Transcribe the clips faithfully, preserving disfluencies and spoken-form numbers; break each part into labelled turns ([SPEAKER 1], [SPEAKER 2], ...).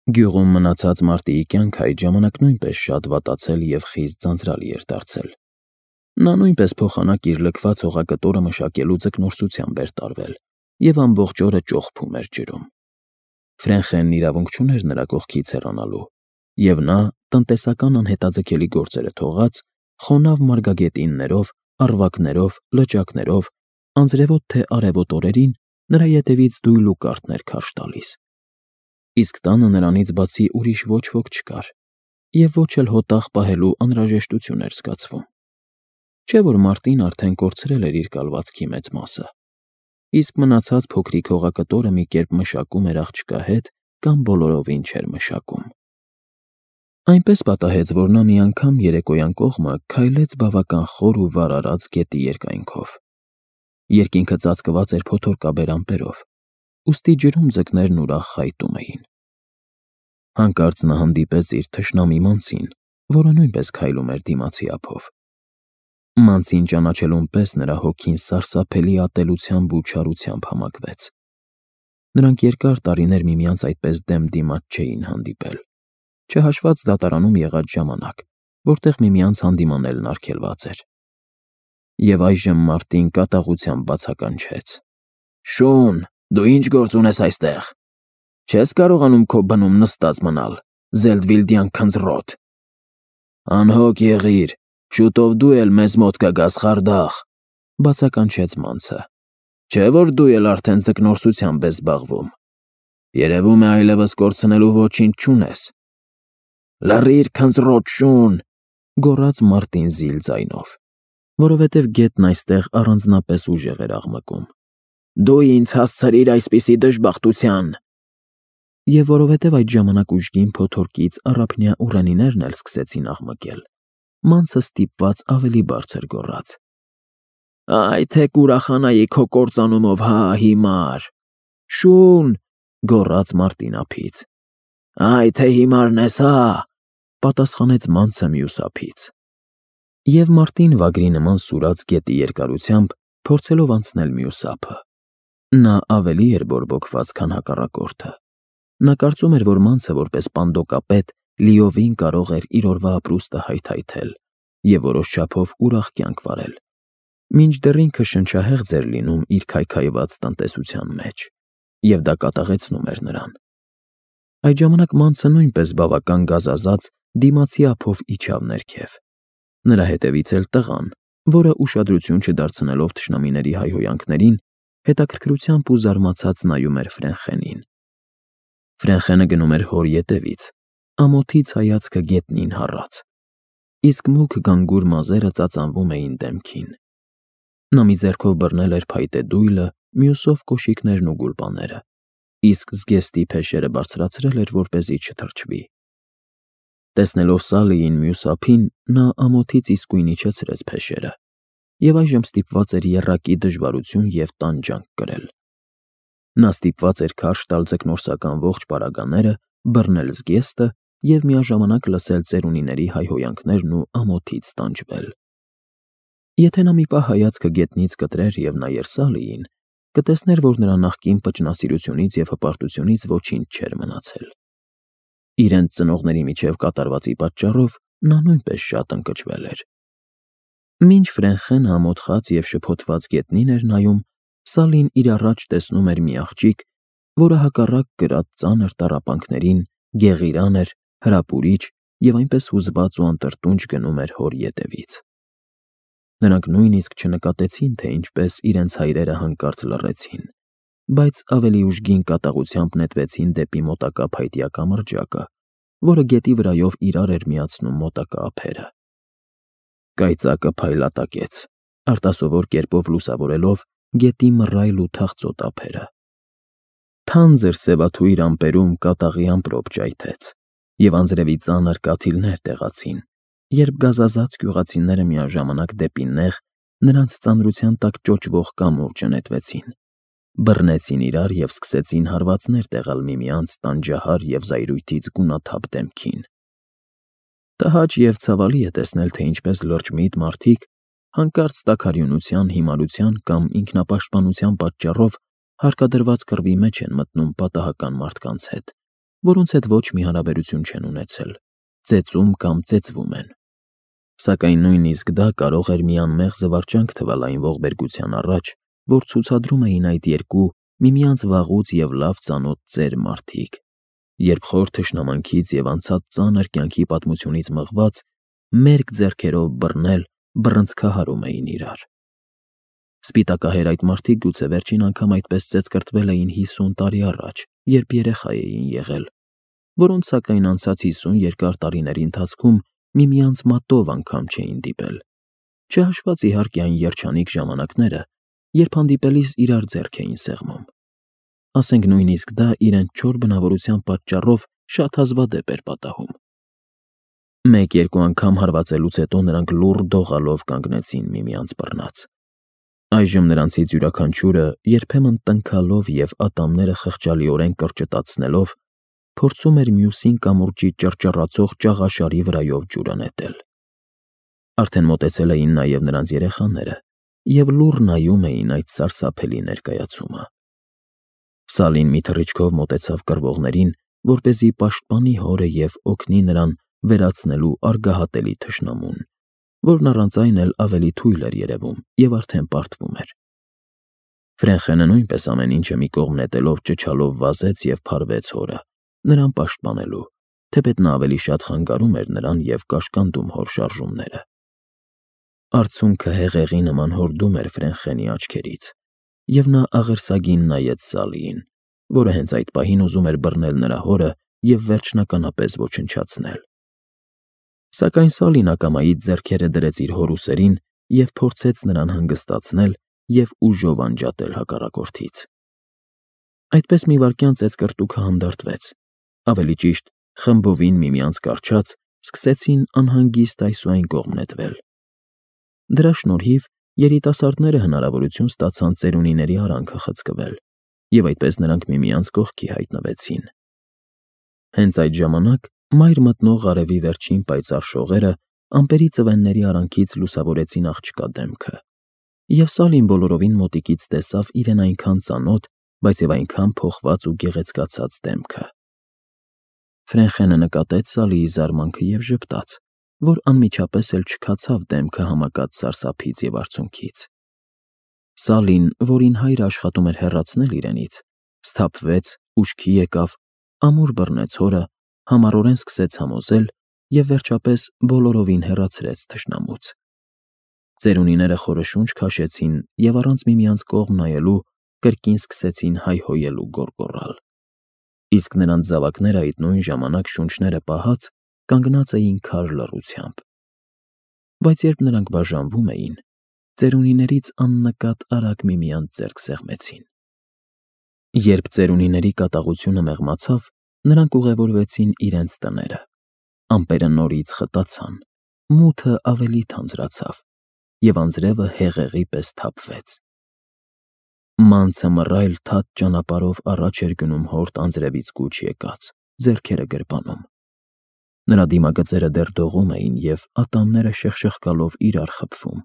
[SPEAKER 1] Գյուղում մնացած մարտիի կյանքը այդ ժամանակ նույնպես շատ վատացել և խիստ ձանձրալի էր դարձել։ Նա նույնպես փոխանակ իր լքված հողակտորը մշակելու ձկնորսությամբ էր տարվել և ամբողջ օրը ճողփում էր ջրում։ Ֆրենխենն իրավունք չուներ նրա կողքից հեռանալու, և նա, տնտեսական անհետաձգելի գործերը թողած, խոնավ մարգագետիններով, առվակներով, լճակներով, անձրևոտ թե արևոտ օրերին նրա ետևից դույլ ու կարթ էր քարշ տալիս։ Իսկ տանը նրանից բացի ուրիշ ոչ ոք չկար, և ոչ էլ հոտաղ պահելու անհրաժեշտություն էր զգացվում։ Չէ՞ որ մարտին արդեն կորցրել էր իր կալվածքի մեծ մասը, իսկ մնացած փոքրիկ հողակտորը մի կերպ մշակում էր աղջկա հետ կամ բոլորովին չէր մշակում։ Այնպես պատահեց, որ նա մի անգամ երեկոյան կողմը քայլեց բավական խոր ու վարարած գետի երկայնքով։ Երկինքը ծածկված էր փոթորկաբեր ամպերով, ուստի ջրում ձկներն ուրախ խայտում էին։ Հանկարծ նա հանդիպեց իր թշնամի Մանցին, որը նույնպես քայլում էր դիմացի ափով։ Մանցին ճանաչելուն պես նրա հոգին սարսափելի ատելությամբ ու չարությամբ համակվեց։ Նրանք երկար տարիներ միմյանց այդպես դեմ դիմաց չէին հանդիպել, չհաշված դատարանում եղած ժամանակ, որտեղ միմյանց հանդիմանելն արգելված էր։ Եվ այժմ մարտին կատաղությամբ բացականչեց. «Շուն, դու ի՞նչ գործ ունես այստեղ։ Չես կարողանում քո բնում նստած մնալ, Զելդվիլդյան քնձռոտ։ Անհոգ եղիր, շուտով դու էլ մեզ մոտ կգաս, խարդախ», բացականչեց Մանցը։ «Չէ՞ որ դու էլ արդեն ձկնորսությամբ ես զբաղվում։ Երևում է այլևս կորցնելու ոչինչ չունես»։ «Լռիր, քնձռոտ շուն», գոռաց մարտին զիլ ձայնով, որովհետև գետն այստեղ առանձնապես ուժեղ էր աղմկում։ «Դու ինձ հասցրիր այսպիսի դժբախտության»։ Եվ որովհետև այդ ժամանակ ուժգին փոթորկից առափնյա ուռենիներն էլ սկսեցին աղմկել, Մանցը ստիպված ավելի բարձր գոռաց. «Այ թե կուրախանայի քո կործանումով, հա, հիմար»։ «Շուն», գոռաց մարտին ափից։ «Այ թե հիմարն ես, հա», պատասխանեց Մանցը մյուս ափից։ Եվ մարտին վագրի նման սուրաց գետի երկարությամբ, փորձելով անցնել մյուս ափը։ Նա ավելի էր բորբոքված, քան հակառակորդը։ Նա կարծում էր, որ Մանցը որպես պանդոկապետ լիովին կարող էր իր օրվա ապրուստը հայթայթել և որոշ չափով ուրախ կյանք վարել, մինչդեռ ինքը շնչահեղձ էր լինում իր քայքայված տնտեսության մեջ, և դա կատաղեցնում էր նրան։ Այդ ժամանակ Մանցը նույնպես բավական գազազած դիմացի ափով իջավ ներքև։ Նրա հետևից էլ տղան, որը ուշադրություն չդարձնելով թշնամիների հայհոյանքներին, հետաքրքրությամբ ու զարմացած նայում էր Ֆրենխենին։ Ֆրենխենը գնում էր հոր ետևից, ամոթից հայացքը գետնին հառած, իսկ մուգ գանգուր մազերը ծածանվում էին դեմքին։ Նա մի ձեռքով բռնել էր փայտե դույլը, մյուսով կոշիկներն ու գուլպաները, իսկ զգեստի փեշերը բարձրացրել էր, որպեսզի չթրջվի։ Տեսնելով Սալիին մյուս ափին, նա ամոթից իսկույն իջեցրեց փեշերը և այժմ ստիպված էր եռակի դժվարություն և տանջանք կրել։ Նա ստիպված էր քարշ տալ ձկնորսական ողջ պարագաները, բռնել զգեստը և միաժամանակ լսել ծերունիների հայհոյանքներն ու ամոթից տանջվել։ Եթե նա մի պահ հայացքը գետնից կտրեր և նայեր Սալիին, կտեսներ, որ նրա նախկին պճնասիրությունից և հպարտությունից ոչինչ չէր մնացել։ Իրենց ծնողների միջև կատարվածի պատճառով նա նույնպես շատ ընկճվել էր։ Մինչ Ֆրենխենը ամոթխած և շփոթված գետնին էր նայում, Սալին իր առաջ տեսնում էր մի աղջիկ, որը հակառակ կրած ծանր տառապանքներին գեղիրան էր, հրապուրիչ և այնպես հուզված ու անտրտունջ գնում էր հոր ետևից։ Նրանք նույնիսկ չնկատեցին, թե ինչպես իրենց հայրերը հանկարծ լռեցին, բայց ավելի ուժգին կատաղությամբ նետվեցին դեպի մոտակա փայտյա կամրջակը, որը գետի վրայով իրար էր միացնում մոտակա ափերը։ Կայծակը փայլատակեց, արտասովոր կերպով լուսավորելով գետի մռայլ ու թախծոտ ափերը։ Թանձր սևաթույր ամպերում կատաղի ամպրոպ ճայթեց, և անձրևի ծանր կաթիլներ տեղացին, երբ գազազած գյուղացիները միաժամանակ դեպի նեղ, նրանց ծանրության տակ ճոճվող կամուրջը նետվեցին, բռնեցին իրար և սկսեցին հարվածներ տեղալ միմյանց տանջահար և զայրույթից գունաթափ դեմքին։ Տհաճ և ցավալի է տեսնել, թե ինչպես լրջմիտ մարդիկ հանկարծ տաքարյունության, հիմարության կամ ինքնապաշտպանության պատճառով հարկադրված կռվի մեջ են մտնում պատահական մարդկանց հետ որոնց հետ ոչ մի հարաբերություն չեն ունեցել, ծեծում կամ ծեծվում են։ Սակայն նույնիսկ դա կարող էր մի անմեղ զվարճանք թվալ այն ողբերգության առաջ, որ ցուցադրում էին այդ երկու միմյանց վաղուց և լավ ծանոթ ծեր մարդիկ, երբ խոր թշնամանքից և անցած ծանր կյանքի պատմությունից մղված, մերկ ձեռքերով բռնել, բռնցքահարում էին իրար։ Սպիտակահեր այդ մարդիկ գուցե վերջին անգամ այդպես ծեծկռտվել էին հիսուն տարի առաջ, երբ երեխա էին եղել, որոնց սակայն անցած հիսուն երկար տարիների ընթացքում միմյանց մատով անգամ չէին դիպել, չհաշված իհարկե այն երջանիկ ժամանակները, երբ հանդիպելիս իրար ձեռք էին սեղմում։ Ասենք նույնիսկ դա իրենց չոր բնավորության պատճառով շատ հազվադեպ էր պատահում։ Մեկ-երկու անգամ հարվածելուց հետո նրանք լուռ դողալով կանգնեցին միմյանց բռնած։ Այժմ նրանցից յուրաքանչյուրը, երբեմն տնքալով և ատամները խղճալիորեն կրճտացնելով, փորձում էր մյուսին կամուրջի ճռճռացող ճաղաշարի վրայով ջուրը նետել։ Արդեն մոտեցել էին նաև նրանց երեխաները և լուռ նայում էին այդ սարսափելի ներկայացումը։ Սալին մի թռիչքով մոտեցավ կռվողներին, որպեսզի պաշտպանի հորը և օգնի նրան վերացնելու արգահատելի թշնամուն, որն առանց այն էլ ավելի թույլ էր երևում և արդեն պարտվում էր։ Ֆրենխենը նույնպես ամեն ինչը մի կողմ նետելով ճչալով վազեց և փարվեց հորը, նրան պաշտպանելու, թեպետ նա ավելի շատ խանգարում էր նրան և կաշկանդում հոր շարժումները։ Արցունքը հեղեղի նման հորդում էր Ֆրենխենի աչքերից, և նա աղերսագին նայեց Սալիին, որը հենց այդ պահին ուզում էր բռնել նրա հորը և վերջնականապես ոչնչացնել։ Սակայն Սալին ակամայից ձեռքերը դրեց իր հոր ուսերին և փորձեց նրան հանգստացնել և ուժով անջատել հակառակորդից։ Այդպես մի վայրկյան ծեծկռտուքը հանդարտվեց, ավելի ճիշտ, խմբովին միմյանց կառչած, սկսեցին անհանգիստ այս ու այն կողմ նետվել։ Դրա շնորհիվ երիտասարդները հնարավորություն ստացան ծերունիների արանքը խցկվել, և այդպես նրանք միմյանց կողքի հայտնվեցին։ Հենց այդ ժամանակ մայր մտնող արևի վերջին պայծառ շողերը ամպերի ծվենների արանքից լուսավորեցին աղջկա դեմքը, և Սալին բոլորովին մոտիկից տեսավ իրեն այնքան ծանոթ, բայց և այնքան փոխված ու գեղեցկացած դեմքը։ Ֆրենխենը նկատեց Սալիի զարմանքը և ժպտաց, որ անմիջապես էլ չքացավ դեմքը համակած սարսափից և արցունքից։ Սալին, որին հայրը աշխատում էր հեռացնել իրենից, սթափվեց, ուշքի եկավ, ամուր բռնեց հորը, համառորեն սկսեց համոզել և վերջապես բոլորովին հեռացրեց թշնամուց։ Ծերունիները խորը շունչ քաշեցին և առանց միմյանց կողմ նայելու կրկին սկսեցին հայհոյել ու գոռգոռալ։ Իսկ նրանց զավակները այդ նույն ժամանակ շունչները պահած կանգնած էին քար լռությամբ։ Բայց երբ նրանք բաժանվում էին, ծերունիներից աննկատ արագ միմյանց ձեռք սեղմեցին։ Երբ ծերունիների կատաղությունը մեղմացավ, նրանք ուղևորվեցին իրենց տները։ Ամպերը նորից խտացան, մութը ավելի թանձրացավ, և անձրևը հեղեղի պես թափվեց։ Մանցը մռայլ թաց ճանապարհով առաջ էր գնում հորդ անձրևից կուչ եկած, ձեռքերը գրպանում։ Նրա դիմագծերը դեռ դողում էին և ատամները շխշխկալով իրար խփվում։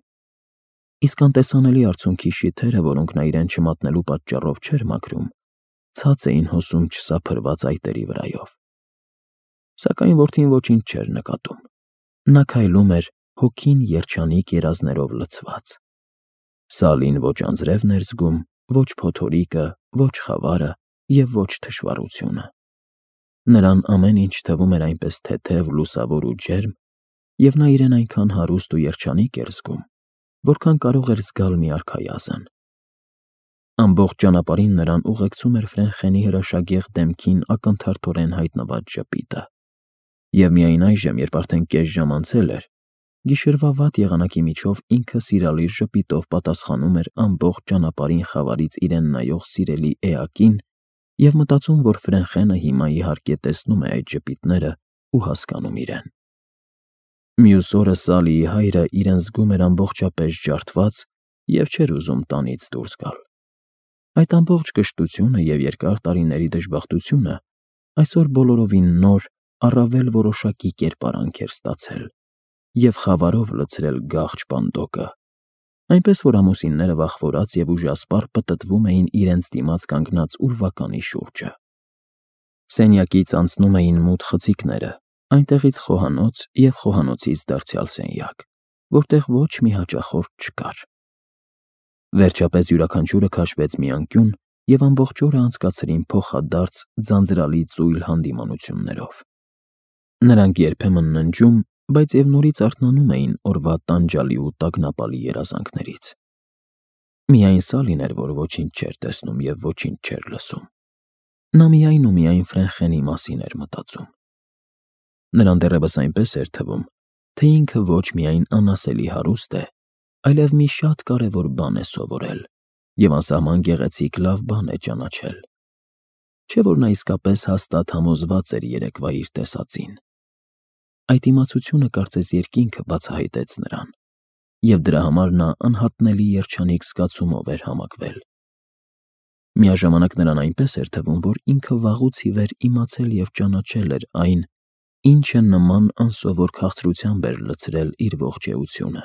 [SPEAKER 1] Իսկ անտեսանելի արցունքի շիթերը, որոնք նա իրեն չմատնելու պատճառով չէր մաքրում, ցած էին հոսում չսափրված այտերի վրայով։ Սակայն որդին ոչինչ չէր նկատում։ Նա քայլում էր հոգին երջանիկ երազներով լցված։ Սալին ոչ անձրևն էր զգում, ոչ փոթորիկը, ոչ խավարը և ոչ թշվառությունը։ Նրան ամեն ինչ թվում էր այնպես թեթև, լուսավոր ու ջերմ, և նա իրեն այնքան հարուստ ու երջանիկ էր զգում, որքան կարող էր զգալ մի արքայազն։ Ամբողջ ճանապարհին նրան ուղեկցում էր Ֆրենխենի հրաշագեղ դեմքին ակնթարթորեն հայտնված ժպիտը։ Եվ միայն այժմ, երբ արդեն կես ժամ անցել էր, գիշերվա վատ եղանակի միջով ինքը սիրալիր ժպիտով պատասխանում էր ամբողջ ճանապարհին խավարից իրեն նայող սիրելի էակին և մտածում, որ Ֆրենխենը հիմա իհարկե տեսնում է այդ ժպիտները ու հասկանում իրեն։ Մյուս օրը Սալիի հայրը իրեն զգում էր ամբողջապես ջարդված և չէր ուզում տանից դուրս գալ։ Այդ ամբողջ կշտությունը և երկար տարիների դժբախտությունը այսօր բոլորովին նոր, առավել որոշակի կերպարանք էր ստացել և խավարով լցրել գաղջ պանդոկը, այնպես որ ամուսինները վախվորած և ուժասպառ պտտվում էին իրենց դիմաց կանգնած ուրվականի շուրջը։ Սենյակից անցնում էին մութ խցիկները, այնտեղից խոհանոց և խոհանոցից դարձյալ սենյակ, որտեղ ոչ մի հաճախորդ չկար։ Վերջապես յուրաքանչյուրը քաշվեց մի անկյուն և ամբողջ օրը անցկացրին փոխադարձ ձանձրալի ծույլ հանդիմանություններով։ Նրանք երբեմն ննջում, բայց և նորից արթնանում էին օրվա տանջալի ու տագնապալի երազանքներից։ Միայն Սալին էր, որ ոչինչ չէր տեսնում և ոչինչ չէր լսում։ Նա միայն ու միայն Ֆրենխենի մասին էր մտածում։ Նրան դեռևս այնպես էր թվում, թե ինքը ոչ միայն անասելի հարուստ է, այլև մի շատ կարևոր բան է սովորել և անսահման գեղեցիկ լավ բան է ճանաչել։ Չէ՞ որ նա իսկապես հաստատ համոզված էր երեկվա իր տեսածին։ Այդ իմացությունը կարծես երկինքը բացահայտեց նրան, և դրա համար նա անհատնելի երջանիկ զգացումով էր համակվել։ Միաժամանակ նրան այնպես էր թվում, որ ինքը վաղուց ի վեր իմացել և ճանաչել էր այն, ինչը նման անսովոր քաղցրությամբ էր լցրել իր ողջ էությունը։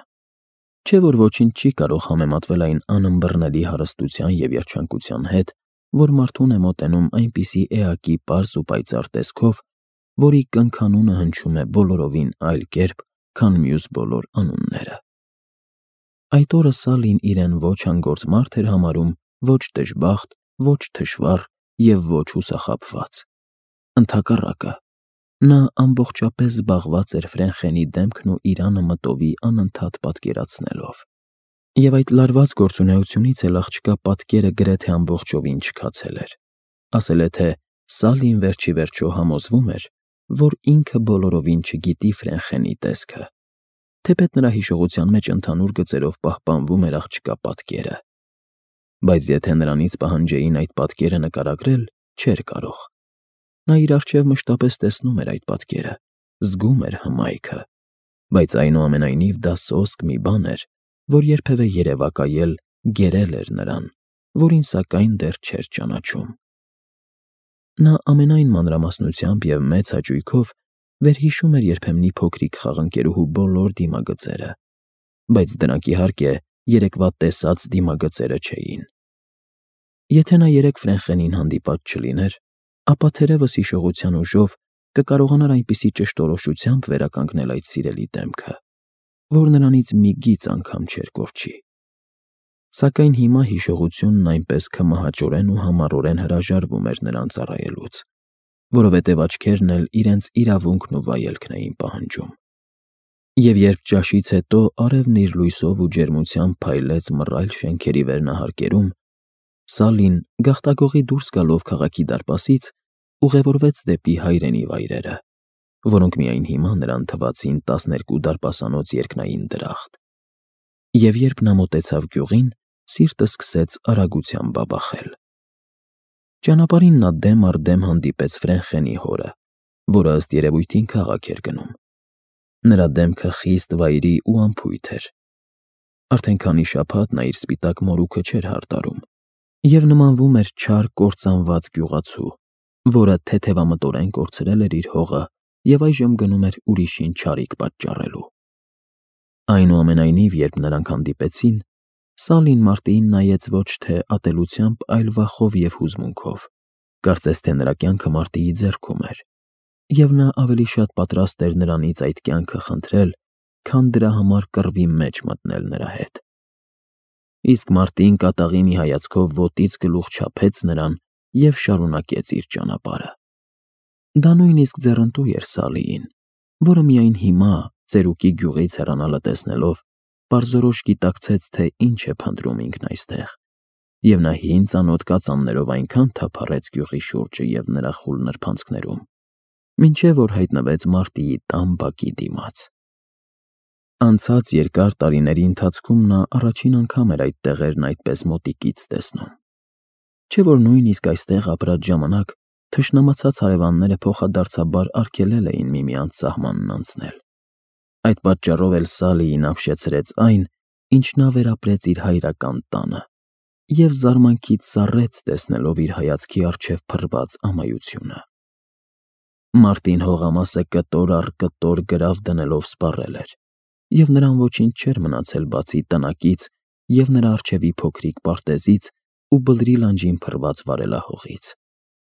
[SPEAKER 1] Չէ՞ որ ոչինչ չի կարող համեմատվել այն անըմբռնելի հարստության և երջանկության հետ, որ մարդուն է մոտենում այնպիսի էակի պարզ ու պայծառ տեսքով, որի կնքանունը հնչում է բոլորովին այլ կերպ, քան մյուս բոլոր անունները։ Այդ օրը Սալին իրեն ոչ հանգործ մարդ էր համարում, ոչ դժբախտ, ոչ թշվառ և ոչ հուսախաբված։ Ընդհակառակը, նա ամբողջապես զբաղված էր Ֆրենխենի դեմքն ու իրանը մտովի անընդհատ պատկերացնելով։ Եվ այդ լարված գործունեությունից էլ աղջկա պատկերը գրեթե ամբողջովին չքացել էր։ Ասել է թե Սալին վերջ ի վերջո համոզվում էր, որ ինքը բոլորովին չգիտի Ֆրենխենի տեսքը, թեպետ նրա հիշողության մեջ ընդհանուր գծերով պահպանվում էր աղջկա պատկերը։ Բայց եթե նրանից պահանջեին այդ պատկերը նկարագրել, չէր կարող։ Նա իր առջև մշտապես տեսնում էր այդ պատկերը, զգում էր հմայքը, բայց այնուամենայնիվ դա սոսկ մի բան էր, որ երբևէ երևակայել, գերել էր նրան, որին սակայն դեռ չէր ճանաչում։ Նա ամենայն մանրամասնությամբ և մեծ հաճույքով վերհիշում էր երբեմնի փոքրիկ խաղընկերուհու բոլոր դիմագծերը, բայց դրանք, իհարկե, երեկվա տեսած դիմագծերը չէին։ Եթե նա երեկ Ֆրենխենին հանդիպած չլիներ, ապա թերևս հիշողության ուժով կկարողանար այնպիսի ճշտորոշությամբ վերականգնել այդ սիրելի դեմքը, որ նրանից մի գիծ անգամ չէր կորչի։ Սակայն հիմա հիշողությունն այնպես քմահաճորեն ու համառորեն հրաժարվում էր նրան ծառայելուց, որովհետև աչքերն էլ իրենց իրավունքն ու վայելքն էին պահանջում։ Եվ երբ ճաշից հետո արևն իր լույսով ու ջերմությամբ փայլեց մռայլ շենքերի վերնահարկերում, Սալին, գաղտագողի դուրս գալով քաղաքի դարպասից, ուղևորվեց դեպի հայրենի վայրերը, որոնք միայն հիմա նրան թվացին տասներկու դարպասանոց երկնային դրախտ։ Եվ երբ նա մոտեցավ գյուղին, սիրտը սկսեց արագությամբ բաբախել։ Ճանապարհին նա դեմ առ դեմ հանդիպեց Ֆրենխենի հորը, որը ըստ երևույթին քաղաք էր գնում։ Նրա դեմքը խիստ վայրի ու անփույթ էր։ Արդեն քանի շաբաթ նա իր սպիտակ մորուքը չէր հարդարում և նմանվում էր չար կործանված գյուղացու, որը թեթևամտորեն կորցրել էր իր հողը և այժմ գնում էր ուրիշին չարիք պատճառելու։ Այնուամենայնիվ, երբ նրանք հանդիպեցին, Սալին մարտին նայեց ոչ թե ատելությամբ, այլ վախով և հուզմունքով, կարծես թե նրա կյանքը մարտիի ձեռքում էր, և նա ավելի շատ պատրաստ էր նրանից այդ կյանքը խնդրել, քան դրա համար կռվի մեջ մտնել նրա հետ։ Իսկ մարտին կատաղի մի հայացքով ոտից գլուխ չափեց նրան և շարունակեց իր ճանապարհը։ Դա նույնիսկ ձեռնտու էր Սալիին, որը միայն հիմա, ծերուկի գյուղից հեռանալը տեսնելով, պարզորոշ գիտակցեց, թե ինչ է փնտրում ինքն այստեղ, և նա հին ծանոթ կածաններով այնքան թափառեց գյուղի շուրջը և նրա խուլ նրբանցքներում, մինչև որ հայտնվեց մարտիի տան բակի դիմաց։ Անցած երկար տարիների ընթացքում նա առաջին անգամ էր այդ տեղերն այդպես մոտիկից տեսնում։ Չէ՞ որ նույնիսկ այստեղ ապրած ժամանակ թշնամացած հարևանները փոխադարձաբար արգելել էին միմյանց սահմանն անցնել։ Այդ պատճառով էլ Սալիին ապշեցրեց այն, ինչ նա վերապրեց իր հայրական տանը, և զարմանքից սառեց տեսնելով իր հայացքի առջև փռված ամայությունը։ Մարտին հողամասը կտոր առ կտոր գրավ դնելով սպառել էր, և նրան ոչինչ չէր մնացել բացի տնակից և նրա առջևի փոքրիկ պարտեզից ու բլրի լանջին փռված վարելահողից։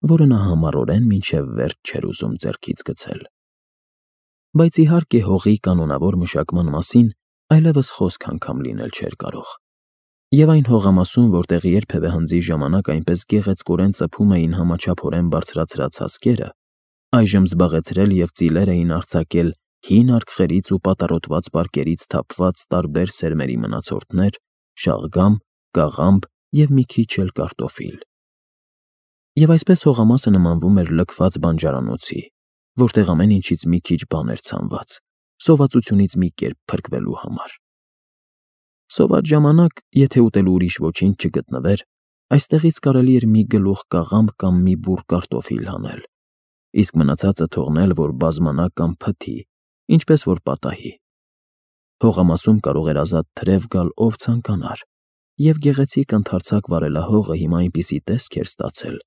[SPEAKER 1] որը նա համառորեն մինչև վերջ չէր ուզում ձեռքից գցել։ Բայց իհարկե հողի կանոնավոր մշակման մասին այլևս խոսք անգամ լինել չէր կարող։ Եվ այն հողամասում, որտեղ երբևէ հնձի ժամանակ այնպես գեղեցկորեն ծփում էին համաչափորեն բարձրացրած հասկերը, այժմ զբաղեցրել և ծիլեր էին արձակել հին արկղերից ու պատառոտված պարկերից թափված տարբեր սերմերի մնացորդներ, շաղգամ, կաղամբ և մի քիչ էլ կարտոֆիլ։ Եվ այսպես հողամասը նմանվում էր լքված բանջարանոցի, որտեղ ամեն ինչից մի քիչ բան էր ցանված, սովածությունից մի կերպ փրկվելու համար։ Սոված ժամանակ, եթե ուտելու ուրիշ ոչինչ չգտնվեր, այստեղից կարելի էր մի գլուխ կաղամբ կամ մի բուռ կարտոֆիլ հանել, իսկ մնացածը թողնել, որ բազմանա կամ փթի, ինչպես որ պատահի։ Հողամասում կարող էր ազատ թրև գալ ով ցանկանար, և գեղեցիկ ընդարձակ վարելահողը հիմա այնպիսի տեսք էր ստացել,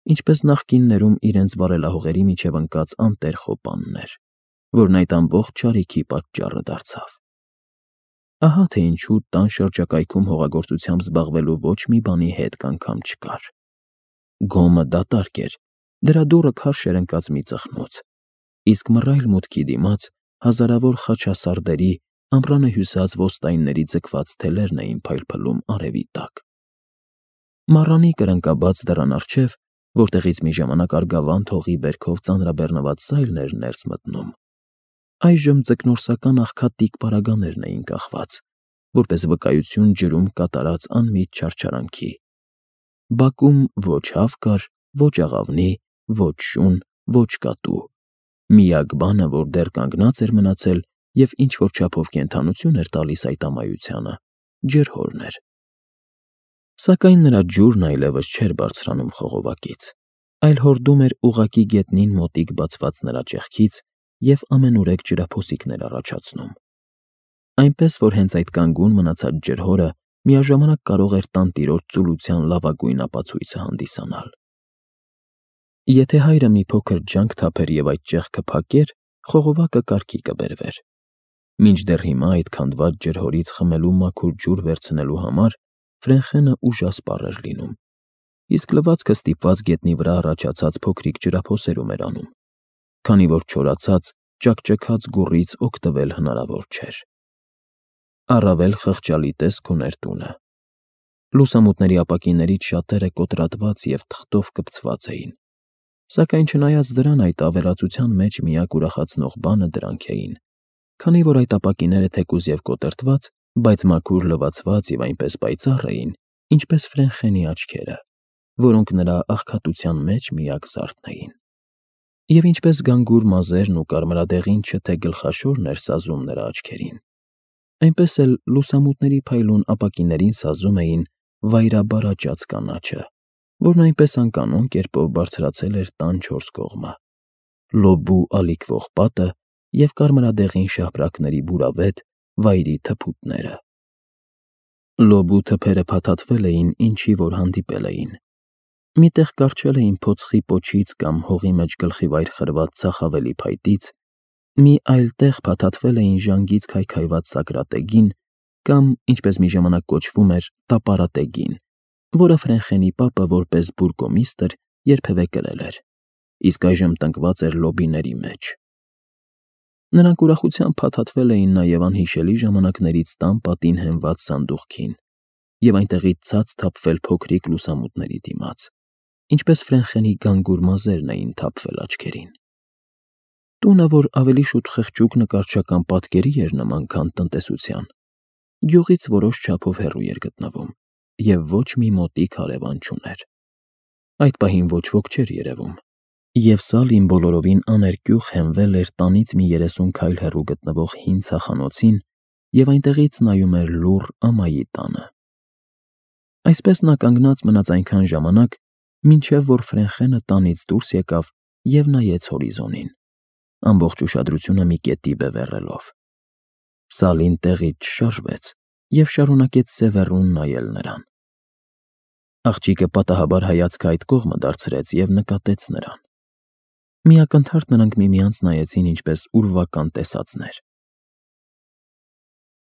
[SPEAKER 1] ինչպես նախկիններում իրենց վարելահողերի միջև ընկած անտեր խոպաններ, որն այդ ամբողջ չարիքի պատճառը դարձավ։ Ահա թե ինչու տան շրջակայքում հողագործությամբ զբաղվելու ոչ մի բանի հետք անգամ չկար։ Գոմը դատարկ էր, դրա դուռը քարշ էր ընկած մի ծխնոց, իսկ մռայլ մուտքի դիմաց հազարավոր խաչասարդերի, ամռանը հյուսած ոստայնների ձգված թելերն էին փայլփլում արևի տակ։ Մառանի կրնկաբաց դռան առջև, որտեղից մի ժամանակ արգավանդ հողի բերքով ծանրաբեռնված սայլն էր ներս մտնում, այժմ ձկնորսական աղքատիկ պարագաներն էին կախված, որպես վկայություն ջրում կատարած անմիջ չարչարանքի։ Բակում ոչ հավ կար, ոչ աղավնի, ոչ շուն, ոչ կատու։ Միակ բանը, որ դեռ կանգնած էր մնացել և ինչ-որ չափով կենդանություն էր տալիս այդ ամայությանը, ջրհորն էր։ Սակայն նրա ջուրն այլևս չէր բարձրանում խողովակից, այլ հորդում էր ուղղակի գետնին մոտիկ բացված նրա ճեղքից և ամենուրեք ջրափոսիկներ առաջացնում։ Այնպես, որ հենց այդ կանգուն մնացած ջրհորը միաժամանակ կարող էր տանտիրոջ ծուլության լավագույն ապացույցը հանդիսանալ։ Եթե հայրը մի փոքր ջանք թափեր և այդ ճեղքը փակեր, խողովակը կարգի կբերվեր։ Մինչդեռ հիմա այդ քանդված ջրհորից խմելու մաքուր ջուր վերցնելու համար Ֆրենխենը ուժասպառ էր լինում, իսկ լվացքը ստիպված գետնի վրա առաջացած փոքրիկ ջրափոսերում էր անում, քանի որ չորացած, ճաքճքած գուռից օգտվել հնարավոր չէր։ Առավել խղճալի տեսք ուներ տունը։ Լուսամուտների ապակիներից շատերը կոտրատված և թղթով կպցված էին, սակայն չնայած դրան այդ ավերածության մեջ միակ ուրախացնող բանը դրանք էին, քանի որ այդ ապակիները թեկուզ և կոտրտված, բայց մաքուր լվացված և այնպես պայծառ էին, ինչպես Ֆրենխենի աչքերը, որոնք նրա աղքատության մեջ միակ զարդն էին։ Եվ ինչպես գանգուր մազերն ու կարմրադեղինչը թե գլխաշորն էր սազում նրա աչքերին, այնպես էլ լուսամուտների փայլուն ապակիներին սազում էին վայրաբարաճած կանաչը, որն այնպես անկանոն կերպով բարձրացել էր տան չորս կողմը, լոբու ալիքվող պատը և կարմրադեղին շապրակների բուրավետ վայրի թփուտները։ Լոբու թփերը փաթաթվել էին ինչի որ հանդիպել էին։ Մի տեղ կառչել էին փոցխի պոչից կամ հողի մեջ գլխիվայր խրված ծախավելի փայտից, մի այլ տեղ փաթաթվել էին ժանգից քայքայված սակրատեգին կամ, ինչպես մի ժամանակ կոչվում էր, տապարատեգին, որը Ֆրենխենի պապը որպես բուրգոմիստրը երբևէ կրել էր, իսկ այժմ տնկված էր լոբիների մեջ։ Նրանք ուրախությամբ փաթաթվել էին նաև անհիշելի ժամանակներից տան պատին հենված սանդուղքին և այնտեղից ցած թափվել փոքրիկ լուսամուտների դիմաց, ինչպես Ֆրենխենի գանգուր մազերն էին թափվել աչքերին։ Տունը, որ ավելի շուտ խղճուկ նկարչական պատկերի էր նման, քան տնտեսության, գյուղից որոշ չափով հեռու էր գտնվում և ոչ մի մոտիկ հարևան չուներ։ Այդ պահին ոչ ոք չէր երևում, և Սալին բոլորովին աներկյուղ հենվել էր տանից մի երեսուն քայլ հեռու գտնվող հին ցախանոցին և այնտեղից նայում էր լուռ ամայի տանը։ Այսպես նա կանգնած մնաց այնքան ժամանակ, մինչև որ Ֆրենխենը տանից դուրս եկավ և նայեց հորիզոնին, ամբողջ ուշադրությունը մի կետի բևեռելով։ Սալին տեղից չշարժվեց և շարունակեց սևեռուն նայել նրան։ Աղջիկը պատահաբար հայացքը այդ կողմը դարձրեց և նկատեց նրան։ Մի ակնթարթ նրանք միմյանց նայեցին ինչպես ուրվական տեսածներ։